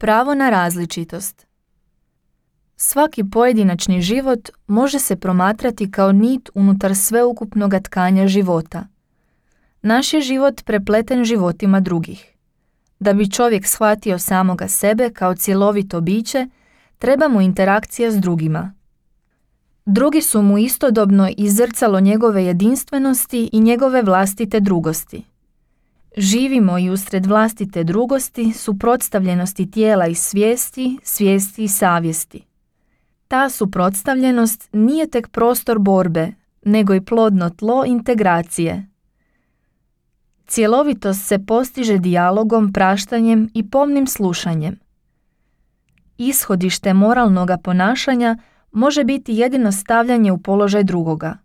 Pravo na različitost. Svaki pojedinačni život može se promatrati kao nit unutar sveukupnog tkanja života. Naš je život prepleten životima drugih. Da bi čovjek shvatio samoga sebe kao cjelovito biće, treba mu interakcija s drugima. Drugi su mu istodobno i zrcalo njegove jedinstvenosti i njegove vlastite drugosti. Živimo i usred vlastite drugosti, suprotstavljenosti tijela i svijesti, svijesti i savjesti. Ta suprotstavljenost nije tek prostor borbe, nego i plodno tlo integracije. Cjelovitost se postiže dijalogom, praštanjem i pomnim slušanjem. Ishodište moralnoga ponašanja može biti jedino stavljanje u položaj drugoga.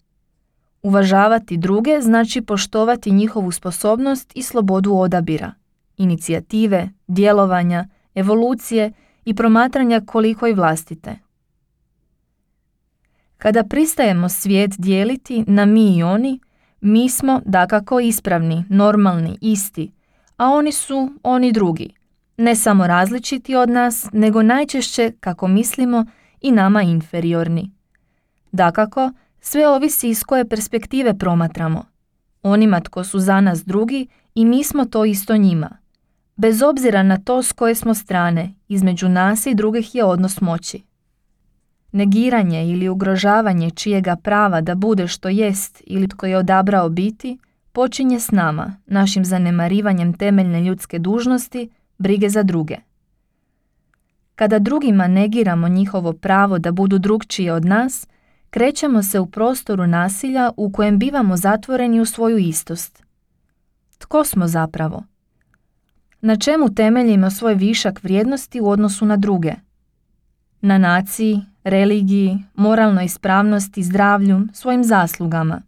Uvažavati druge znači poštovati njihovu sposobnost i slobodu odabira, inicijative, djelovanja, evolucije i promatranja koliko i vlastite. Kada pristajemo svijet dijeliti na mi i oni, mi smo dakako ispravni, normalni, isti, a oni su oni drugi, ne samo različiti od nas, nego najčešće, kako mislimo, i nama inferiorni. Dakako, sve ovisi iz koje perspektive promatramo. Onima tko su za nas drugi i mi smo to isto njima. Bez obzira na to s koje smo strane, između nas i drugih je odnos moći. Negiranje ili ugrožavanje čijega prava da bude što jest ili tko je odabrao biti, počinje s nama, našim zanemarivanjem temeljne ljudske dužnosti, brige za druge. Kada drugima negiramo njihovo pravo da budu drukčiji od nas, krećemo se u prostoru nasilja u kojem bivamo zatvoreni u svoju istost. Tko smo zapravo? Na čemu temeljimo svoj višak vrijednosti u odnosu na druge? Na naciji, religiji, moralnoj ispravnosti, zdravlju, svojim zaslugama.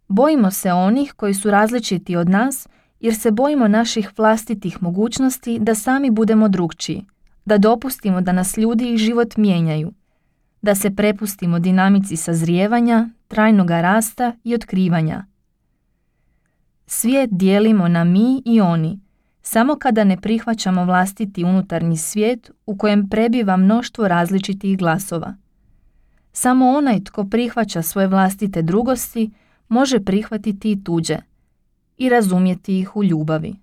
Bojimo se onih koji su različiti od nas jer se bojimo naših vlastitih mogućnosti da sami budemo drukčiji, da dopustimo da nas ljudi i život mijenjaju, da se prepustimo dinamici sazrijevanja, trajnoga rasta i otkrivanja. Svijet dijelimo na mi i oni, samo kada ne prihvaćamo vlastiti unutarnji svijet u kojem prebiva mnoštvo različitih glasova. Samo onaj tko prihvaća svoje vlastite drugosti može prihvatiti i tuđe i razumjeti ih u ljubavi.